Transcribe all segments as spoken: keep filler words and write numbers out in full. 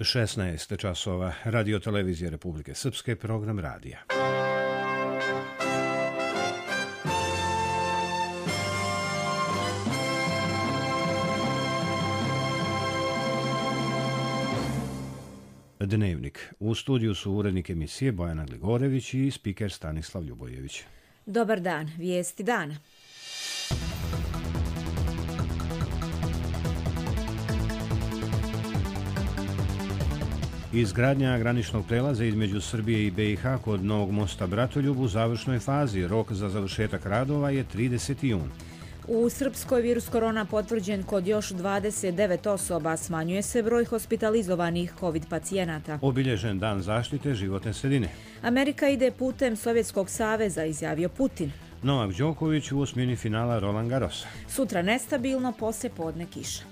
šesnaest časova, Radio televizije Republike Srpske, program radija. Dnevnik. U studiju su urednik emisije Bojana Gligorević i spiker Stanislav Ljubojević. Dobar dan, vijesti dana. Izgradnja graničnog prelaza između Srbije i B i H kod Novog mosta Bratoljub u završnoj fazi. Rok za završetak radova je trideseti jun. U Srpskoj virus korona potvrđen kod još dvadeset devet osoba, smanjuje se broj hospitalizovanih COVID pacijenata. Obilježen dan zaštite životne sredine. Amerika ide putem Sovjetskog saveza, izjavio Putin. Novak Đoković u osmini finala Roland Garrosa. Sutra nestabilno, poslije podne kiša.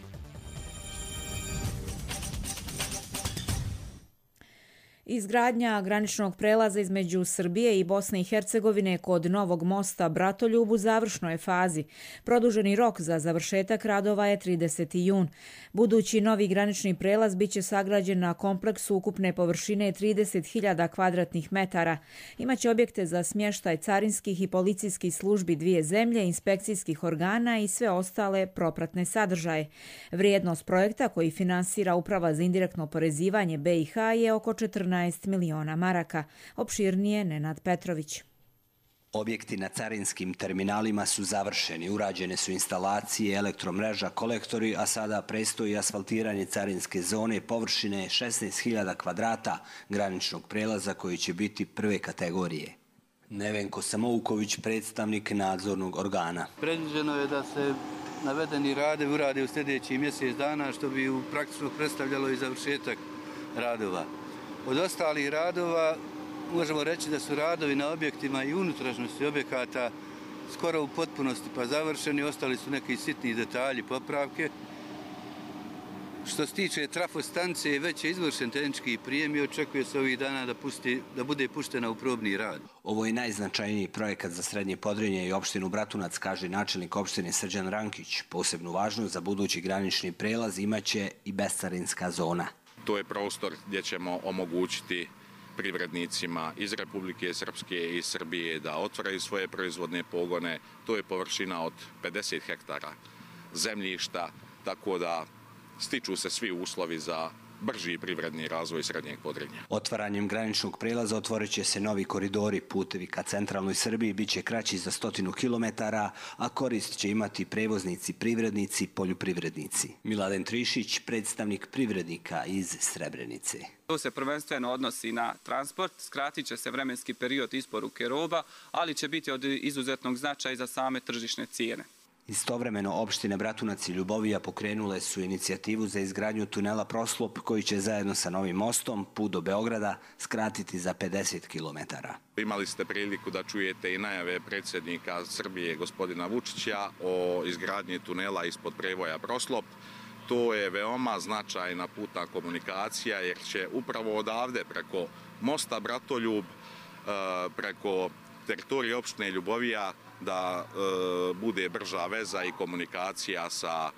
Izgradnja graničnog prelaza između Srbije i Bosne i Hercegovine kod Novog mosta Bratoljub u završnoj fazi. Produženi rok za završetak radova je trideseti jun. Budući novi granični prelaz biće sagrađen na kompleksu ukupne površine trideset hiljada kvadratnih metara. Imaće objekte za smještaj carinskih i policijskih službi dvije zemlje, inspekcijskih organa i sve ostale propratne sadržaje. Vrijednost projekta koji finansira Uprava za indirektno oporezivanje B i H je oko četrnaest miliona maraka. Opširnije Nenad Petrović. Objekti na carinskim terminalima su završeni, urađene su instalacije, elektromreža, kolektori, a sada predstoji asfaltiranje carinske zone površine šesnaest hiljada kvadrata graničnog prelaza koji će biti prve kategorije. Nevenko Samouković, predstavnik nadzornog organa. Predviđeno je da se navedeni radovi urade u sljedećih mjesec dana, što bi praktično predstavljalo i završetak radova. Od ostalih radova možemo reći da su radovi na objektima i unutrašnjosti objekata skoro u potpunosti pa završeni, ostali su neki sitni detalji, popravke. Što se tiče trafostanice, već je izvršen tehnički prijem i očekuje se ovih dana da, pusti, da bude puštena u probni rad. Ovo je najznačajniji projekat za Srednje Podrinje i opštinu Bratunac, kaže načelnik opštine Srđan Rankić. Posebnu važnost za budući granični prelaz imaće i bescarinska zona. To je prostor gdje ćemo omogućiti privrednicima iz Republike Srpske i Srbije da otvaraju svoje proizvodne pogone. To je površina od pedeset hektara zemljišta, tako da stiču se svi uslovi za brži privredni razvoj Srednjeg Podrinja. Otvaranjem graničnog prelaza otvorit će se novi koridori, putevi ka centralnoj Srbiji bit će kraći za stotinu kilometara, a korist će imati prevoznici, privrednici, poljoprivrednici. Miladen Trišić, predstavnik privrednika iz Srebrenice. To se prvenstveno odnosi na transport, skratit će se vremenski period isporuke roba, ali će biti od izuzetnog značaja za same tržišne cijene. Istovremeno, opštine Bratunac i Ljubovija pokrenule su inicijativu za izgradnju tunela Proslop koji će zajedno sa novim mostom put do Beograda skratiti za pedeset kilometara. Imali ste priliku da čujete i najave predsjednika Srbije gospodina Vučića o izgradnji tunela ispod prevoja Proslop. To je veoma značajna putna komunikacija jer će upravo odavde preko mosta Bratoljub, preko teritorije opštine Ljubovija da e, bude brža veza i komunikacija sa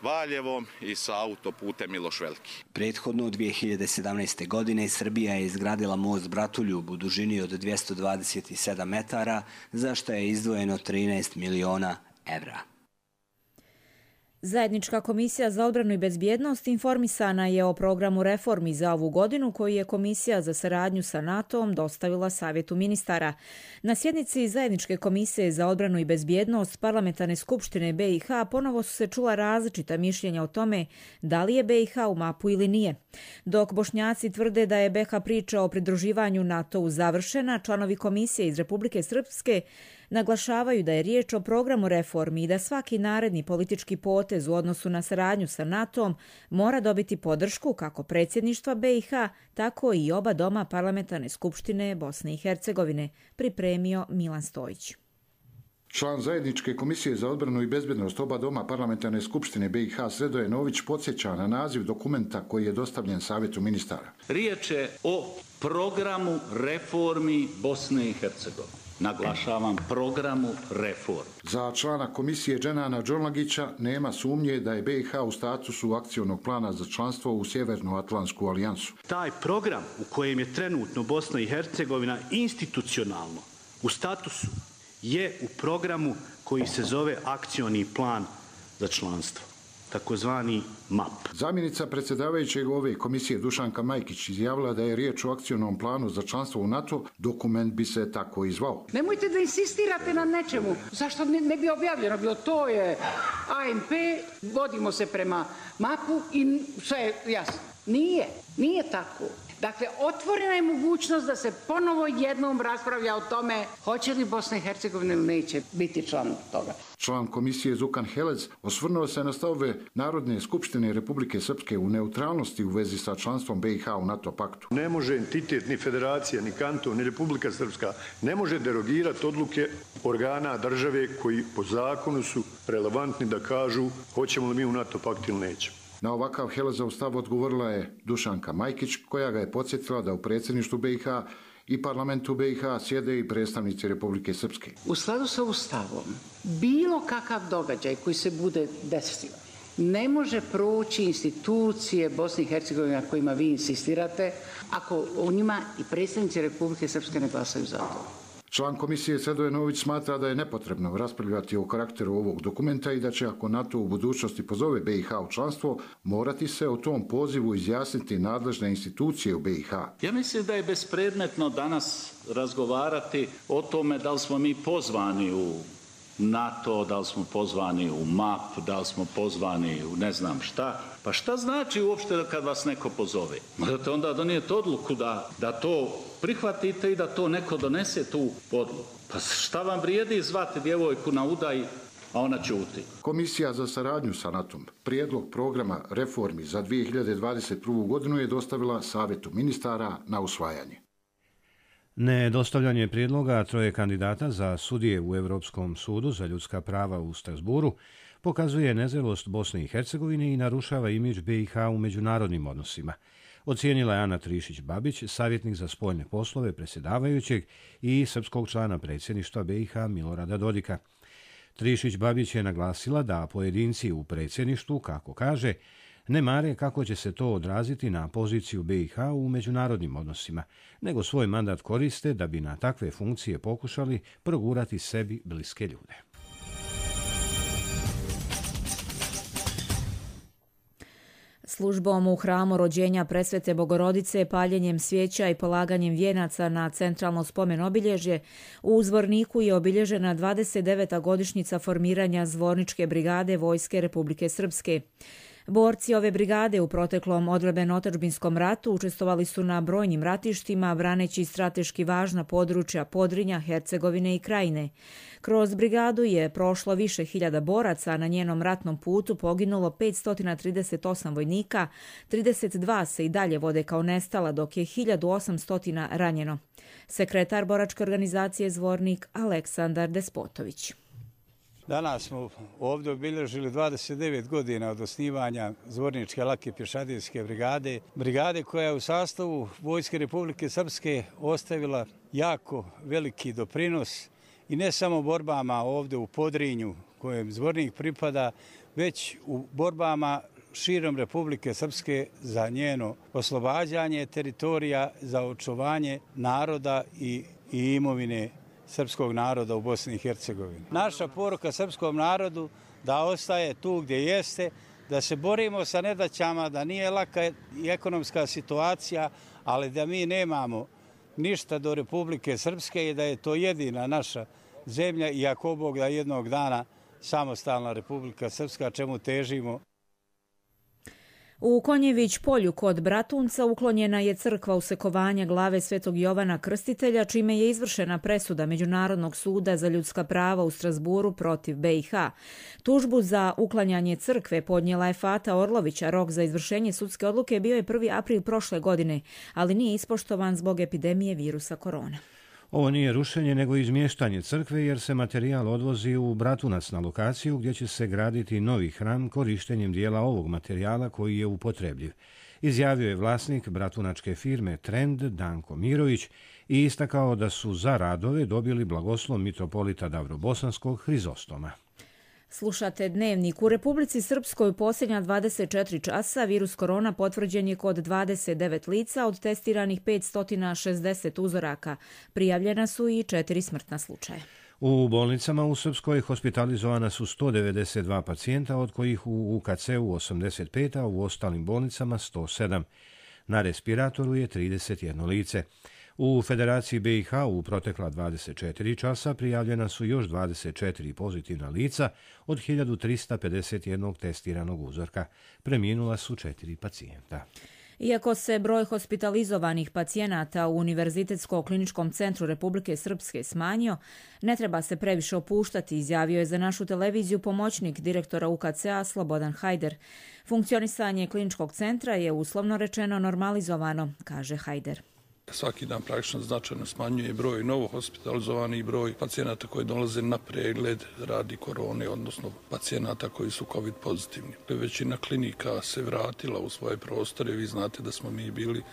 Valjevom i sa autoputem Miloš Veliki. Prethodno dvije hiljade sedamnaeste. godine Srbija je izgradila most Bratoljub u dužini od dvjesto dvadeset sedam metara, za što je izdvojeno trinaest miliona evra. Zajednička komisija za odbranu i bezbjednost informisana je o programu reformi za ovu godinu koji je Komisija za saradnju sa NATO-om dostavila Savjetu ministara. Na sjednici Zajedničke komisije za odbranu i bezbjednost Parlamentarne skupštine B i H ponovo su se čula različita mišljenja o tome da li je B i H u mapu ili nije. Dok Bošnjaci tvrde da je B i H priča o pridruživanju NATO-u završena, članovi komisije iz Republike Srpske naglašavaju da je riječ o programu reformi i da svaki naredni politički potez u odnosu na saradnju sa NATO-om mora dobiti podršku kako predsjedništva B i H, tako i oba doma Parlamentarne skupštine Bosne i Hercegovine, pripremio Milan Stojić. Član Zajedničke komisije za odbranu i bezbjednost oba doma Parlamentarne skupštine B i H Sredoje Nović podsjeća na naziv dokumenta koji je dostavljen Savjetu ministara. Riječ je o programu reformi Bosne i Hercegovine. naglašavam, programu reform. Za člana komisije Dženana Đorlagića nema sumnje da je B i H u statusu akcionog plana za članstvo u Sjevernoatlantsku alijansu. Taj program u kojem je trenutno Bosna i Hercegovina institucionalno u statusu je u programu koji se zove akcioni plan za članstvo, takozvani M A P. Zamjenica predsjedavajućeg ove komisije Dušanka Majkić izjavila da je riječ o akcionom planu za članstvo u NATO, dokument bi se tako i zvao. Nemojte da insistirate na nečemu. Zašto ne, ne bi objavljeno bilo? To je A M P, vodimo se prema M A P-u i sve je jasno. Nije, nije tako. Dakle, otvorena je mogućnost da se ponovo jednom raspravlja o tome hoće li Bosna i Hercegovina ili neće biti član toga. Član komisije Zukan Helec osvrnuo se na stavove Narodne skupštine Republike Srpske u neutralnosti u vezi sa članstvom B i H u NATO paktu. Ne može entitet, ni federacija, ni kanton, ni Republika Srpska ne može derogirati odluke organa države koji po zakonu su relevantni da kažu hoćemo li mi u NATO pakt ili nećemo. Na ovakav Helezov stav odgovorila je Dušanka Majkić, koja ga je podsjetila da u predsjedništvu B i H i parlamentu B i H sjede i predstavnici Republike Srpske. U skladu sa Ustavom, bilo kakav događaj koji se bude desio, ne može proći institucije Bosne i Hercegovine na kojima vi insistirate, ako u njima i predstavnici Republike Srpske ne glasaju za to. Član komisije Sredoje Nović smatra da je nepotrebno raspravljati o karakteru ovog dokumenta i da će, ako NATO u budućnosti pozove B i H u članstvo, morati se o tom pozivu izjasniti nadležne institucije u B i H. Ja mislim da je bespredmetno danas razgovarati o tome da li smo mi pozvani u NATO, da li smo pozvani u M A P, da li smo pozvani u ne znam šta. Pa šta znači uopšte kad vas neko pozove? Morate onda donijeti odluku da, da to prihvatite i da to neko donese tu odluku. Pa šta vam vrijedi zvati djevojku na udaj, a ona ćuti? Komisija za saradnju sa NATO-om prijedlog programa reformi za dvije hiljade dvadeset prvu. godinu je dostavila Savjetu ministara na usvajanje. Nedostavljanje prijedloga troje kandidata za sudije u Europskom sudu za ljudska prava u Strasburu pokazuje nezrelost Bosne i Hercegovine i narušava imidž B i H u međunarodnim odnosima. Ocijenila je Ana Trišić-Babić, savjetnik za spoljne poslove predsjedavajućeg i srpskog člana predsjedništva B i H Milorada Dodika. Trišić-Babić je naglasila da pojedinci u predsjedništvu, kako kaže, ne mare kako će se to odraziti na poziciju B i H u međunarodnim odnosima, nego svoj mandat koriste da bi na takve funkcije pokušali progurati sebi bliske ljude. Službom u hramu rođenja Presvete Bogorodice, paljenjem svijeća i polaganjem vijenaca na centralno spomen obilježje, u Zvorniku je obilježena dvadeset deveta godišnjica formiranja Zvorničke brigade Vojske Republike Srpske. Borci ove brigade u proteklom odbrambeno-otadžbinskom ratu učestvovali su na brojnim ratištima, braneći strateški važna područja Podrinja, Hercegovine i Krajine. Kroz brigadu je prošlo više hiljada boraca, a na njenom ratnom putu poginulo petsto trideset osam vojnika, trideset dva se i dalje vode kao nestala, dok je hiljadu osamsto ranjeno. Sekretar boračke organizacije Zvornik Aleksandar Despotović. Danas smo ovdje obilježili dvadeset devet godina od osnivanja Zvorničke lake pješadijske brigade. Brigade koja je u sastavu Vojske Republike Srpske ostavila jako veliki doprinos i ne samo borbama ovdje u Podrinju kojem Zvornik pripada, već u borbama širom Republike Srpske za njeno oslobađanje teritorija, za očuvanje naroda i, i imovine srpskog naroda u Bosni i Hercegovini. Naša poruka srpskom narodu da ostaje tu gdje jeste, da se borimo sa nedaćama, da nije laka i ekonomska situacija, ali da mi nemamo ništa do Republike Srpske i da je to jedina naša zemlja i ako Bog da jednog dana samostalna Republika Srpska, čemu težimo. U Konjević polju kod Bratunca uklonjena je crkva usekovanja glave Svetog Jovana Krstitelja, čime je izvršena presuda Međunarodnog suda za ljudska prava u Strasburu protiv B i H. Tužbu za uklanjanje crkve podnijela je Fata Orlovića. Rok za izvršenje sudske odluke bio je prvi april prošle godine, ali nije ispoštovan zbog epidemije virusa korona. Ovo nije rušenje, nego izmještanje crkve, jer se materijal odvozi u Bratunac na lokaciju gdje će se graditi novi hram korištenjem dijela ovog materijala koji je upotrebljiv. izjavio je vlasnik bratunačke firme Trend Danko Mirović i istakao da su za radove dobili blagoslov mitropolita Davrobosanskog Hrizostoma. Slušate Dnevnik. U Republici Srpskoj u posljednja dvadeset četiri časa virus korona potvrđen je kod dvadeset devet lica od testiranih petsto šezdeset uzoraka. Prijavljena su i četiri smrtna slučaja. U bolnicama u Srpskoj hospitalizovana su sto devedeset dva pacijenta, od kojih u U K C-u osamdeset pet, a u ostalim bolnicama sto sedam. Na respiratoru je trideset jedno lice. U Federaciji B i H u protekla dvadeset četiri časa prijavljena su još dvadeset četiri pozitivna lica od hiljadu trista pedeset jedan testiranog uzorka. Preminula su četiri pacijenta. Iako se broj hospitalizovanih pacijenata u Univerzitetsko-kliničkom centru Republike Srpske smanjio, ne treba se previše opuštati, izjavio je za našu televiziju pomoćnik direktora U K C-a Slobodan Hajder. Funkcionisanje kliničkog centra je uslovno rečeno normalizovano, kaže Hajder. Svaki dan praktično značajno smanjuje broj novo hospitalizovanih, broj pacijenata koji dolaze na pregled radi korone, odnosno pacijenata koji su COVID pozitivni. Većina klinika se vratila u svoje prostore. Vi znate da smo mi bili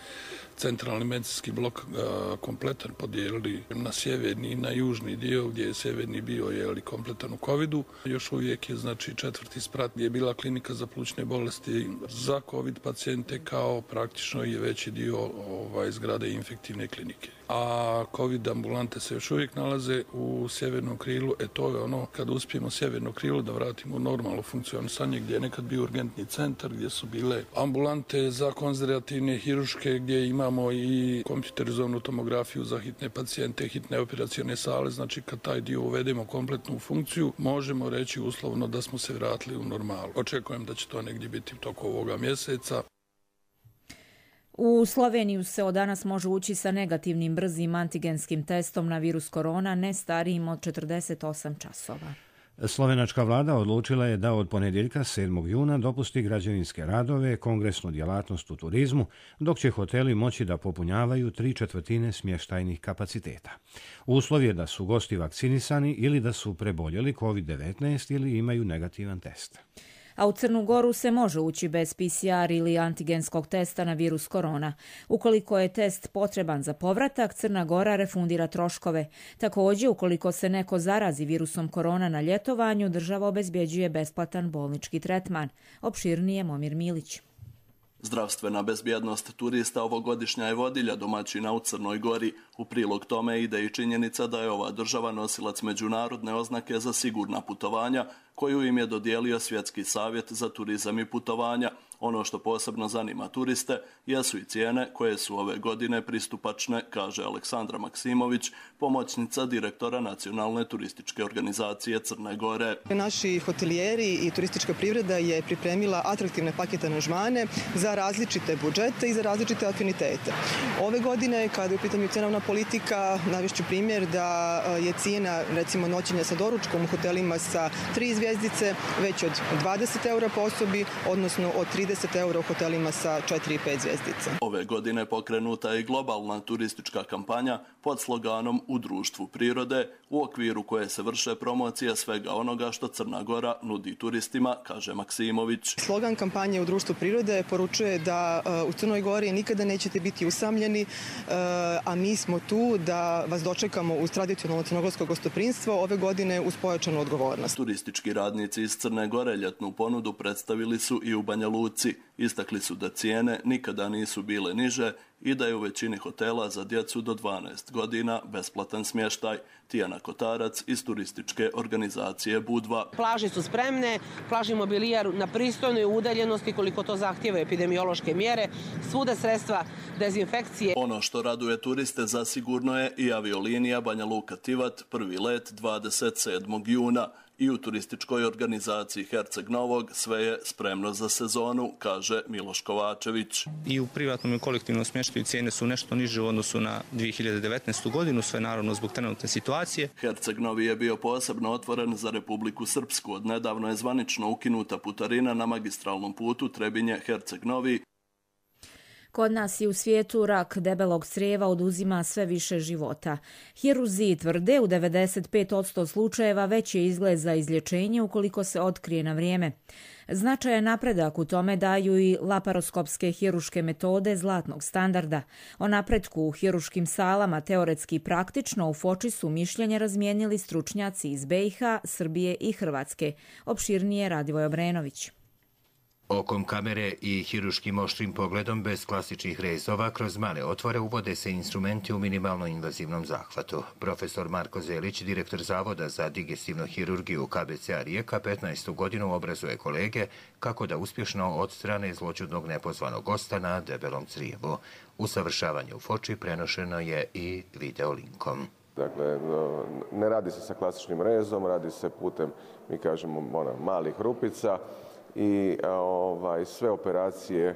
centralni medicinski blok a, kompletan podijelili na sjeverni i na južni dio, gdje je sjeverni bio je kompletan u covidu. Još uvijek je znači četvrti sprat gdje je bila klinika za plućne bolesti za COVID pacijente, kao praktično je veći dio ovaj, zgrade infektivne klinike. A COVID ambulante se još uvijek nalaze u sjevernom krilu. E to je ono kad uspijemo sjeverno krilo da vratimo u normalno funkcionisanje, gdje je nekad bio urgentni centar, gdje su bile ambulante za konzervativne hiruške, gdje imamo i kompjuterizovanu tomografiju za hitne pacijente, hitne operacione sale. Znači kad taj dio uvedemo kompletnu u funkciju, možemo reći uslovno da smo se vratili u normalu. Očekujem da će to negdje biti u toku ovoga mjeseca. U Sloveniju se od danas može ući sa negativnim brzim antigenskim testom na virus korona, ne starijim od četrdeset osam časova. Slovenačka vlada odlučila je da od ponedjeljka sedmog juna dopusti građevinske radove, kongresnu djelatnost u turizmu, dok će hoteli moći da popunjavaju tri četvrtine smještajnih kapaciteta. Uslov je da su gosti vakcinisani ili da su preboljeli COVID devetnaest ili imaju negativan test. A u Crnu Goru se može ući bez P C R ili antigenskog testa na virus korona. Ukoliko je test potreban za povratak, Crna Gora refundira troškove. Također, ukoliko se neko zarazi virusom korona na ljetovanju, država obezbjeđuje besplatan bolnički tretman. Opširnije Momir Milić. Zdravstvena bezbjednost turista ovogodišnja je vodilja domaćina u Crnoj Gori. U prilog tome ide i činjenica da je ova država nosilac međunarodne oznake za sigurna putovanja, koju im je dodijelio Svjetski savjet za turizam i putovanja. Ono što posebno zanima turiste jesu i cijene koje su ove godine pristupačne, kaže Aleksandra Maksimović, pomoćnica direktora Nacionalne turističke organizacije Crne Gore. Naši hotelijeri i turistička privreda je pripremila atraktivne pakete aranžmane za različite budžete i za različite afinitete. Ove godine, kada je u pitanju cenovna politika, navešću primjer da je cijena recimo noćenja sa doručkom u hotelima sa tri zvjezdice već od dvadeset eura po osobi, odnosno od trideset eura u hotelima sa četiri i pet zvjezdice. Ove godine pokrenuta je globalna turistička kampanja pod sloganom U društvu prirode, u okviru koje se vrše promocija svega onoga što Crna Gora nudi turistima, kaže Maksimović. Slogan kampanje U društvu prirode poručuje da u Crnoj Gori nikada nećete biti usamljeni, a mi smo tu da vas dočekamo uz tradicionalno crnogorsko gostoprinstvo, ove godine uz pojačanu odgovornost. Turistički radnici iz Crne Gore ljetnu ponudu predstavili su i u Banja Luci. Istakli su da cijene nikada nisu bile niže i da je u većini hotela za djecu do dvanaest godina besplatan smještaj. Tijana Kotarac iz turističke organizacije Budva. Plaže su spremne, plažni mobilijar na pristojnoj udaljenosti koliko to zahtijeva epidemiološke mjere, svuda sredstva dezinfekcije. Ono što raduje turiste zasigurno je i aviolinija Banja Luka-Tivat, prvi let dvadeset sedmog juna. I u turističkoj organizaciji Herceg Novog sve je spremno za sezonu, kaže Miloš Kovačević. I u privatnom i kolektivnom smještaju cijene su nešto niže u odnosu na dvije hiljade devetnaestu. godinu, sve naravno zbog trenutne situacije. Herceg Novi je bio posebno otvoren za Republiku Srpsku. Od nedavno je zvanično ukinuta putarina na magistralnom putu Trebinje-Herceg Novi. Kod nas i u svijetu rak debelog crijeva oduzima sve više života. Hirurzi tvrde u devedeset pet posto slučajeva već je izgled za izlječenje ukoliko se otkrije na vrijeme. Značajan napredak u tome daju i laparoskopske hiruške metode zlatnog standarda. O napretku u hiruškim salama teoretski i praktično u Foči su mišljenje razmijenili stručnjaci iz B i H, Srbije i Hrvatske. Opširnije Radivoj Obrenović. Okom kamere i hiruškim oštrim pogledom bez klasičnih rezova kroz male otvore uvode se instrumenti u minimalno invazivnom zahvatu. Profesor Marko Zelić, direktor Zavoda za digestivnu hirurgiju K B C A Rijeka, petnaestu godinu obrazuje kolege kako da uspješno odstrane zloćudnog nepozvanog gosta na debelom crijevu. Usavršavanje u Foči prenošeno je i videolinkom. Dakle, ne radi se sa klasičnim rezom, radi se putem, mi kažemo, ona, malih rupica, i ovaj, sve operacije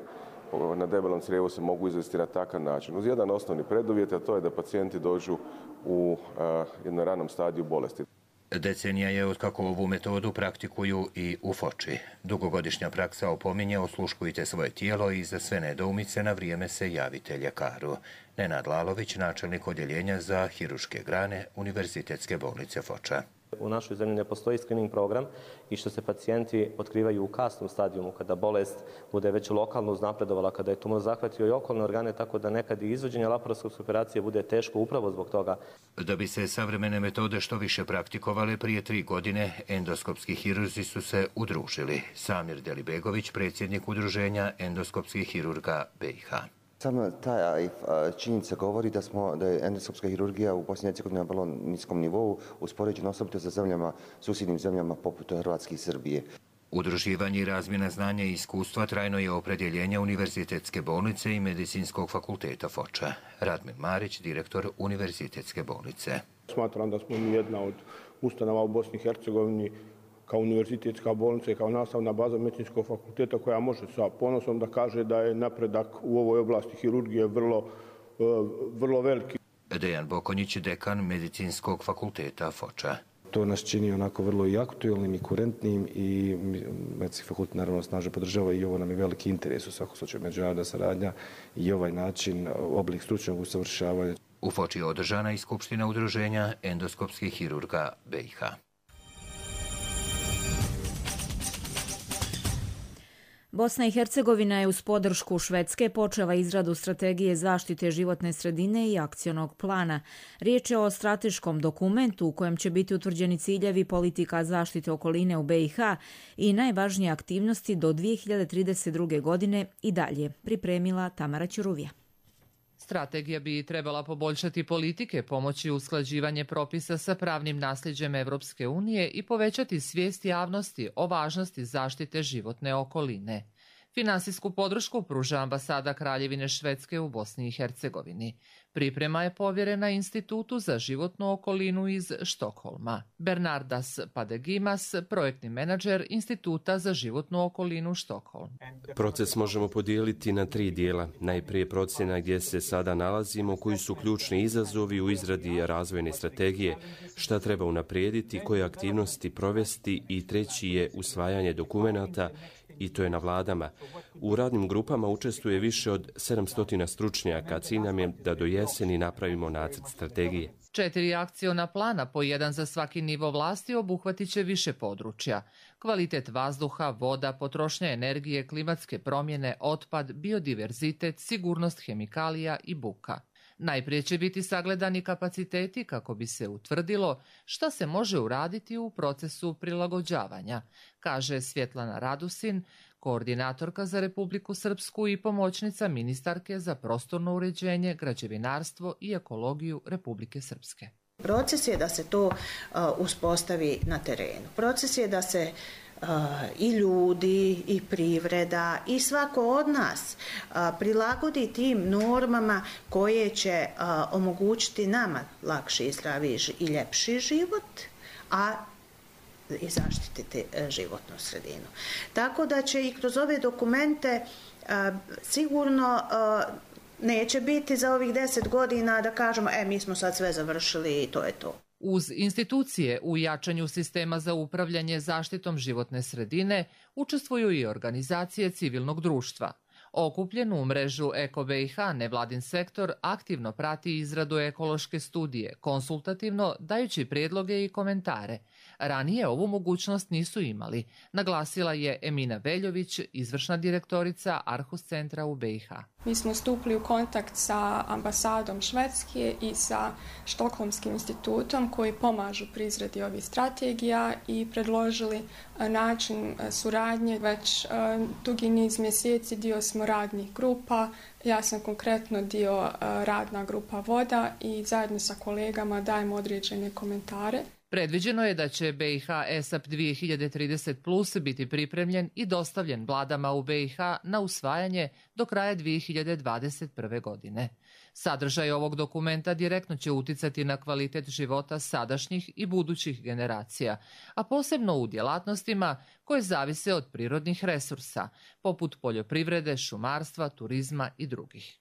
na debelom crijevu se mogu izvesti na takav način. Uz jedan osnovni preduvjet, a to je da pacijenti dođu u a, jednom ranom stadiju bolesti. Decenija je otkako ovu metodu praktikuju i u Foči. Dugogodišnja praksa opominje osluškujte svoje tijelo i za sve nedoumice na vrijeme se javite ljekaru. Nenad Lalović, načelnik odjeljenja za hiruške grane Univerzitetske bolnice Foča. U našoj zemlji ne postoji screening program i što se pacijenti otkrivaju u kasnom stadijumu, kada bolest bude već lokalno uznapredovala, kada je tumor zahvatio i okolne organe, tako da nekad i izvođenje laparoskopske operacije bude teško upravo zbog toga. Da bi se savremene metode što više praktikovale, prije tri godine endoskopski hirurzi su se udružili. Samir Delibegović, predsjednik udruženja endoskopskih hirurga B i H. Sama ta činjenica govori da, smo, da je endoskopska hirurgija u Bosni i Hercegovini na vrlo niskom nivou, uspoređeno osobito sa zemljama, susjednim zemljama poput Hrvatske i Srbije. Udruživanje i razmjena znanja i iskustva trajno je opredjeljenje Univerzitetske bolnice i Medicinskog fakulteta Foča. Radmil Marić, direktor Univerzitetske bolnice. Smatram da smo mi jedna od ustanova u Bosni i Hercegovini kao univerzitetska bolnica i kao nastavna baza Medicinskog fakulteta koja može sa ponosom da kaže da je napredak u ovoj oblasti hirurgije vrlo, vrlo veliki. Dejan Bokonjić, dekan Medicinskog fakulteta Foča. To nas čini onako vrlo i aktuelnim i kurentnim i Medicinski fakultet naravno snažno podržava i ovo nam je veliki interes u svakom slučaju međunarodna saradnja i ovaj način, oblik stručnog usavršavanja. U Foči je održana i skupština udruženja endoskopskih hirurga B i H. Bosna i Hercegovina je uz podršku Švedske počela izradu strategije zaštite životne sredine i akcionog plana. Riječ je o strateškom dokumentu u kojem će biti utvrđeni ciljevi politika zaštite okoline u B i H i najvažnije aktivnosti do dvije hiljade trideset druge. godine i dalje, pripremila Tamara Ćuruvija. Strategija bi trebala poboljšati politike, pomoći usklađivanje propisa sa pravnim nasljeđem Evropske unije i povećati svijest javnosti o važnosti zaštite životne okoline. Finansijsku podršku pruža ambasada Kraljevine Švedske u Bosni i Hercegovini. Priprema je povjerena Institutu za životnu okolinu iz Štokholma. Bernardas Padegimas, projektni menadžer Instituta za životnu okolinu Štokholm. Proces možemo podijeliti na tri dijela. Najprije procjena gdje se sada nalazimo, koji su ključni izazovi u izradi razvojne strategije, šta treba unaprijediti, koje aktivnosti provesti i treći je usvajanje dokumenata i to je na vladama. U radnim grupama učestvuje više od sedamsto stručnjaka, cilj nam je da do jeseni napravimo nacrt strategije. Četiri akciona plana, po jedan za svaki nivo vlasti, obuhvatit će više područja. Kvalitet vazduha, voda, potrošnja energije, klimatske promjene, otpad, biodiverzitet, sigurnost hemikalija i buka. Najprije će biti sagledani kapaciteti kako bi se utvrdilo šta se može uraditi u procesu prilagođavanja, kaže Svjetlana Radusin, koordinatorka za Republiku Srpsku i pomoćnica ministarke za prostorno uređenje, građevinarstvo i ekologiju Republike Srpske. Proces je da se to uh, uspostavi na terenu. Proces je da se Uh, i ljudi, i privreda, i svako od nas uh, prilagodi tim normama koje će uh, omogućiti nama lakši i zdraviji i ljepši život, a i zaštititi uh, životnu sredinu. Tako da će i kroz ove dokumente uh, sigurno uh, neće biti za ovih deset godina da kažemo, e, mi smo sad sve završili i to je to. Uz institucije u jačanju sistema za upravljanje zaštitom životne sredine učestvuju i organizacije civilnog društva. Okupljen u mrežu Eko B i H nevladin sektor aktivno prati izradu ekološke studije, konsultativno dajući prijedloge i komentare. Ranije ovu mogućnost nisu imali, naglasila je Emina Veljović, izvršna direktorica Arhus centra u B i H. Mi smo stupili u kontakt sa ambasadom Švedske i sa Štokholmskim institutom koji pomažu pri izradi ovih strategija i predložili način suradnje. Već dugi niz mjeseci dio smo radnih grupa. Ja sam konkretno dio radna grupa voda i zajedno sa kolegama dajemo određene komentare. Predviđeno je da će B i H E S A P dvije hiljade trideset plus biti pripremljen i dostavljen vladama u B i H na usvajanje do kraja dvije hiljade dvadeset prve. godine. Sadržaj ovog dokumenta direktno će uticati na kvalitet života sadašnjih i budućih generacija, a posebno u djelatnostima koje zavise od prirodnih resursa, poput poljoprivrede, šumarstva, turizma i drugih.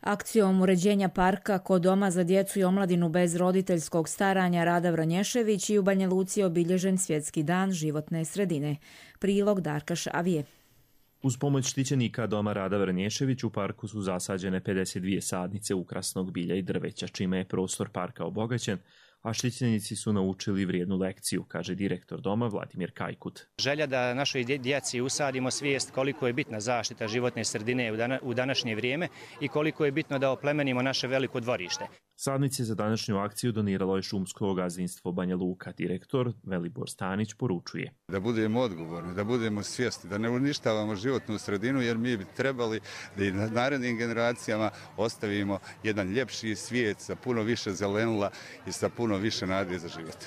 Akcijom uređenja parka kod Doma za djecu i omladinu bez roditeljskog staranja Rada Vranješević i u Banja Luci je obilježen Svjetski dan životne sredine. Prilog Darka Šavije. Uz pomoć štićenika Doma Rada Vranješević u parku su zasađene pedeset dvije sadnice ukrasnog bilja i drveća, čime je prostor parka obogaćen, a štićenici su naučili vrijednu lekciju, kaže direktor doma Vladimir Kajkut. Želja da našoj djeci usadimo svijest koliko je bitna zaštita životne sredine u današnje vrijeme i koliko je bitno da oplemenimo naše veliko dvorište. Sadnice za današnju akciju doniralo je šumsko gazdinstvo Banja Luka. Direktor Velibor Stanić poručuje: Da budemo odgovorni, da budemo svjesni, da ne uništavamo životnu sredinu, jer mi bi trebali da i narednim generacijama ostavimo jedan ljepši svijet sa puno više zelenila i sa puno više nade za život.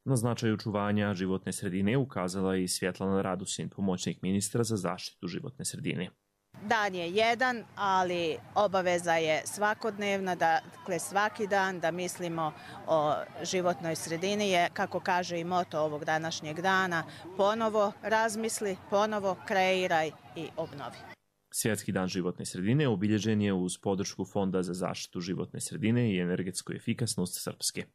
Na značaj očuvanja životne sredine ukazala je i Svjetlana Radusin, pomoćnik ministra za zaštitu životne sredine. Dan je jedan, ali obaveza je svakodnevna, dakle svaki dan da mislimo o životnoj sredini je, kako kaže i moto ovog današnjeg dana, ponovo razmisli, ponovo kreiraj i obnovi. Svjetski dan životne sredine obilježen je uz podršku Fonda za zaštitu životne sredine i energetsku efikasnost Srpske.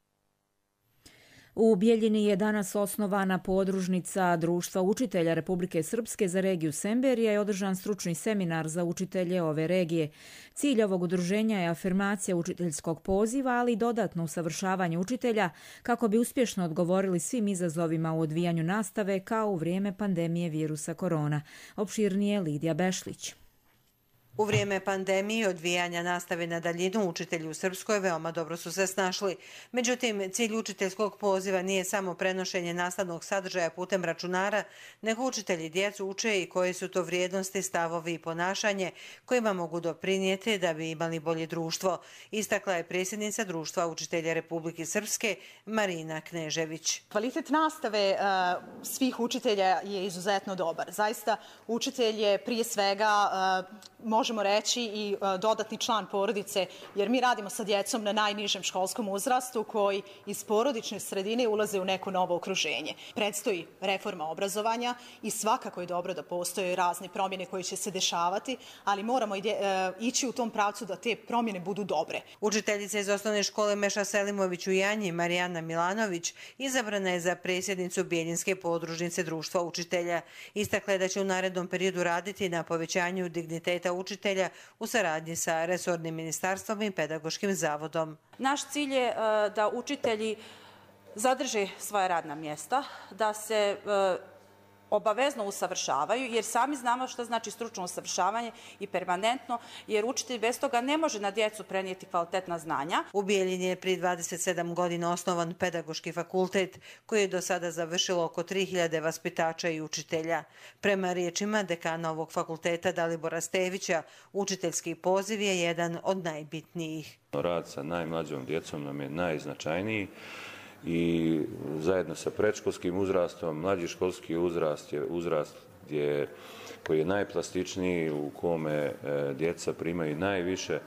U Bijeljini je danas osnovana podružnica Društva učitelja Republike Srpske za regiju Semberija i održan stručni seminar za učitelje ove regije. Cilj ovog udruženja je afirmacija učiteljskog poziva, ali i dodatno usavršavanje učitelja kako bi uspješno odgovorili svim izazovima u odvijanju nastave kao u vrijeme pandemije virusa korona. Opširnije Lidija Bešlić. U vrijeme pandemije i odvijanja nastave na daljinu učitelji u Srpskoj veoma dobro su se snašli. Međutim, cilj učiteljskog poziva nije samo prenošenje nastavnog sadržaja putem računara, nego učitelji djecu uče i koje su to vrijednosti, stavovi i ponašanje kojima mogu doprinijeti da bi imali bolje društvo, istakla je predsjednica Društva učitelja Republike Srpske Marina Knežević. Kvalitet nastave uh, svih učitelja je izuzetno dobar. Zaista učitelj je prije svega uh, možemo reći i dodatni član porodice, jer mi radimo sa djecom na najnižem školskom uzrastu koji iz porodične sredine ulaze u neko novo okruženje. Predstoji reforma obrazovanja i svakako je dobro da postoje razne promjene koje će se dešavati, ali moramo ići u tom pravcu da te promjene budu dobre. Učiteljica iz osnovne škole Meša Selimović u Janji, Marijana Milanović, izabrana je za predsjednicu Bijeljinske podružnice Društva učitelja. Istakla je da će u narednom periodu raditi na povećanju digniteta učitelja u saradnji sa resornim ministarstvom i pedagoškim zavodom. Naš cilj je da učitelji zadrže svoja radna mjesta, da se obavezno usavršavaju, jer sami znamo što znači stručno usavršavanje i permanentno, jer učitelj bez toga ne može na djecu prenijeti kvalitetna znanja. U Bijeljini je prije dvadeset sedam godina osnovan pedagoški fakultet koji je do sada završilo oko tri hiljade vaspitača i učitelja. Prema riječima dekana ovog fakulteta Dalibora Stevića, učiteljski poziv je jedan od najbitnijih. Rad sa najmlađom djecom nam je najznačajniji. I zajedno sa predškolskim uzrastom, mlađi školski uzrast je uzrast gdje, koji je najplastičniji, u kome e, djeca primaju najviše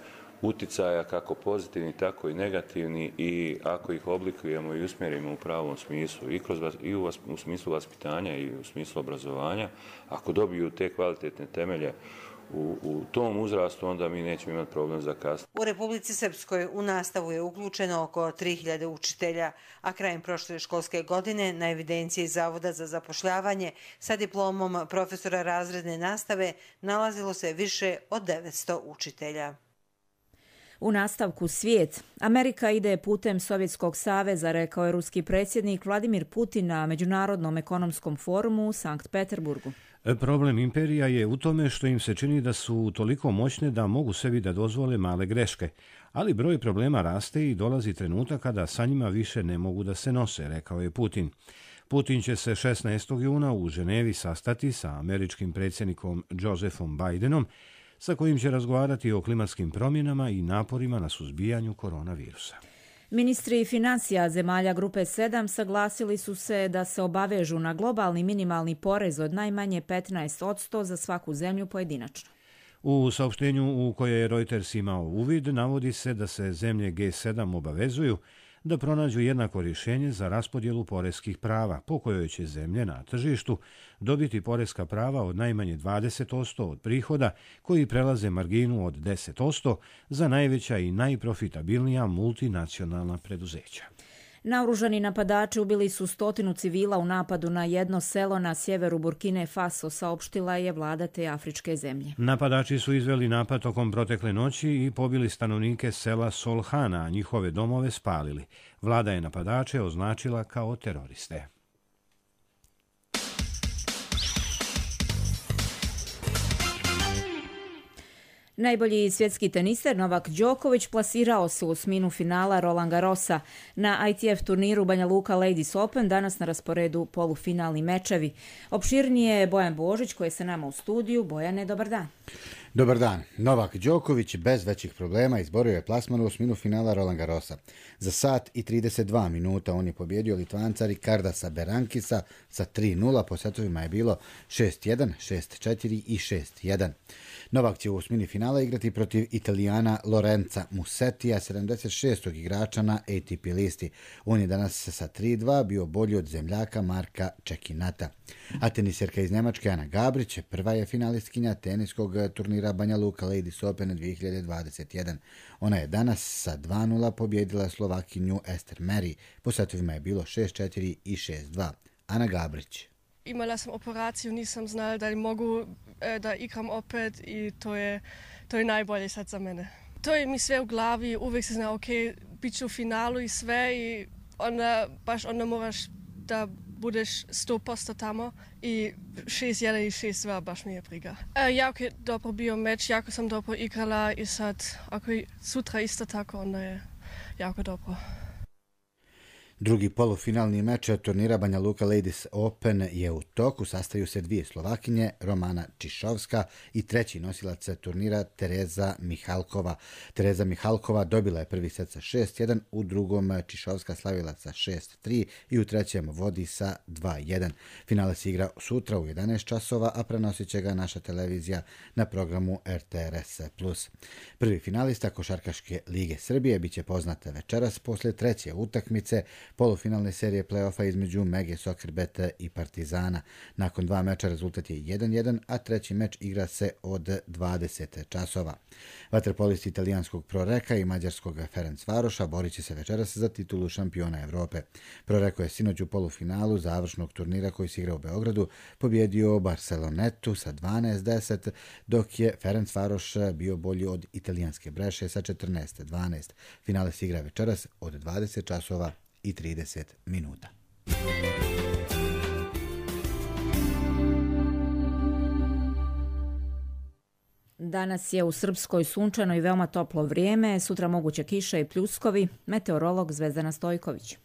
uticaja, kako pozitivni, tako i negativni, i ako ih oblikujemo i usmjerimo u pravom smislu, i, kroz, i u, u smislu vaspitanja i u smislu obrazovanja, ako dobiju te kvalitetne temelje u, u tom uzrastu, onda mi nećemo imati problem za kasnije. U Republici Srpskoj u nastavu je uključeno oko tri hiljade učitelja, a krajem prošle školske godine na evidenciji Zavoda za zapošljavanje sa diplomom profesora razredne nastave nalazilo se više od devetsto učitelja. U nastavku svijet. Amerika ide putem Sovjetskog saveza, rekao je ruski predsjednik Vladimir Putin na Međunarodnom ekonomskom forumu u Sankt Peterburgu. Problem imperija je u tome što im se čini da su toliko moćne da mogu sebi da dozvole male greške, ali broj problema raste i dolazi trenutak kada sa njima više ne mogu da se nose, rekao je Putin. Putin će se šesnaestog juna u Ženevi sastati sa američkim predsjednikom Josephom Bidenom, sa kojim će razgovarati o klimatskim promjenama i naporima na suzbijanju koronavirusa. Ministri financija zemalja Grupe sedam saglasili su se da se obavežu na globalni minimalni porez od najmanje petnaest posto za svaku zemlju pojedinačno. U saopštenju u koje je Reuters imao uvid navodi se da se zemlje G sedam obavezuju da pronađu jednako rješenje za raspodjelu poreskih prava, po kojoj će zemlje na tržištu dobiti poreska prava od najmanje dvadeset posto od prihoda koji prelaze marginu od deset posto za najveća i najprofitabilnija multinacionalna preduzeća. Naoružani napadači ubili su stotinu civila u napadu na jedno selo na sjeveru Burkine Faso, saopštila je vlada te afričke zemlje. Napadači su izveli napad tokom protekle noći i pobili stanovnike sela Solhana, a njihove domove spalili. Vlada je napadače označila kao teroriste. Najbolji svjetski teniser Novak Đoković plasirao se u osminu finala Roland Garrosa. Na I T F turniru Banja Luka Ladies Open danas na rasporedu polufinalni mečevi. Opširnije je Bojan Božić koji je sa nama u studiju. Bojane, dobar dan. Dobar dan. Novak Đoković bez većih problema izborio je plasman u osminu finala Roland Garrosa. Za sat i trideset dva minuta on je pobjedio Litvanca Rikardasa Berankisa sa tri nula, po setovima je bilo šest jedan, šest četiri i šest jedan. Novak će u osmini finala igrati protiv Italijana Lorenza Musetija, sedamdeset šestog igrača na A T P listi. On je danas sa tri dva bio bolji od zemljaka Marka Čekinata. A teniserka iz Njemačke Ana Gabrić prva je finalistkinja teniskog turnira Banja Luka Ladies Open dvije hiljade dvadeset jedan. Ona je danas sa dva nula pobjedila Slovakinju Ester Meri. Po setovima je bilo šest četiri i šest dva. Ana Gabrić. Imala sam operaciju, nisam znala da li mogu da igram opet i to je, to je najbolje sad za mene. To je mi sve u glavi, uvijek se zna, ok, bit ću u finalu i sve i onda, baš onda moraš da budeš sto posto tamo i šest jedan i šest dva baš mi je briga. E, jako je dobro bio meč, jako sam dobro igrala i sad, ako je sutra isto tako, onda je jako dobro. Drugi polufinalni meč turnira Banja Luka Ladies Open je u toku. Sastaju se dvije Slovakinje, Romana Čišovska i treći nosilac turnira Tereza Mihalkova. Tereza Mihalkova dobila je prvi set sa šest jedan, u drugom Čišovska slavila sa šest tri i u trećem vodi sa dva jedan. Finale se igra sutra u jedanaest časova, a prenosit će ga naša televizija na programu R T R S plus. Prvi finalista Košarkaške lige Srbije biće poznata večeras poslije treće utakmice polufinalne serije play-offa između Mege Soccerbeta i Partizana. Nakon dva meča rezultat je jedan jedan, a treći meč igra se od dvadeset časova. Vaterpolisti italijanskog Proreka i mađarskog Ferencvaroša borit će se večeras za titulu šampiona Evrope. Proreko je sinoć u polufinalu završnog turnira koji se igra u Beogradu pobjedio Barcelonetu sa dvanaest deset, dok je Ferencvaroš bio bolji od italijanske Breše sa četrnaest dvanaest. Finale se igra večeras od dvadeset časova i trideset minuta. Danas je u Srpskoj sunčano i veoma toplo vrijeme, sutra moguće kiša i pljuskovi. Meteorolog Zvezdana Stojković.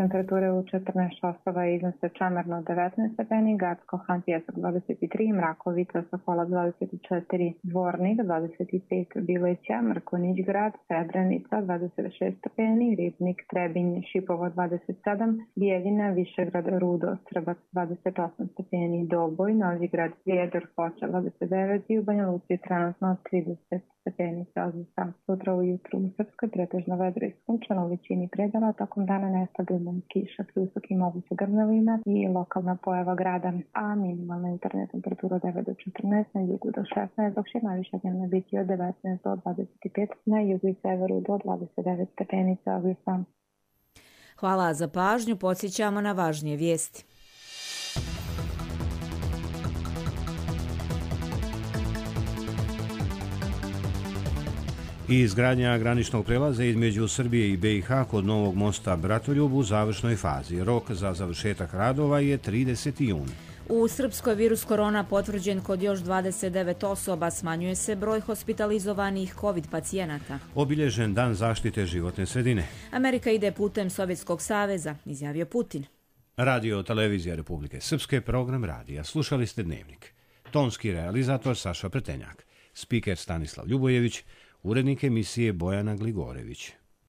Temperature u četrnaest časova iznose Čamarno devetnaest stepeni, Gacko-Han Pjesak dvadeset tri, Mrakovica, Sokola dvadeset četiri, Dvornik dvadeset pet, Bileća, Mrkonić grad, Srebrenica dvadeset šest stepeni, Ribnik, Trebinj, Šipovo dvadeset sedam, Bijeljina, Višegrad, Rudo, Srbac dvadeset osam stepeni, Doboj, Novigrad, Prijedor, Foča dvadeset devet i u Banja Luci trenutno trideset stepeni Celzijusa. Sutra ujutru u Srpskoj pretežno vedro i sunčano u većini predela, tokom dana nestabilno minimum kiša pri visokim mogućim grmljavima i lokalna pojava grada, a minimalna jutarnja temperatura od devet do četrnaest, na jugu do šesnaest, dok će najviša dnevna biti od devetnaest do dvadeset pet, na jugu i severu do dvadeset devet stepeni Celzijusa. Hvala za pažnju, podsjećamo na važnije vijesti. I izgradnja graničnog prelaza između Srbije i B i H kod novog mosta Bratoljub u završnoj fazi. Rok za završetak radova je trideseti jun. U Srpskoj virus korona potvrđen kod još dvadeset devet osoba, smanjuje se broj hospitalizovanih COVID pacijenata. Obilježen dan zaštite životne sredine. Amerika ide putem Sovjetskog saveza, izjavio Putin. Radio Televizija Republike Srpske, program radija. Slušali ste Dnevnik. Tonski realizator Saša Pretenjak. Spiker Stanislav Ljubojević. Urednik emisije Bojana Gligorević.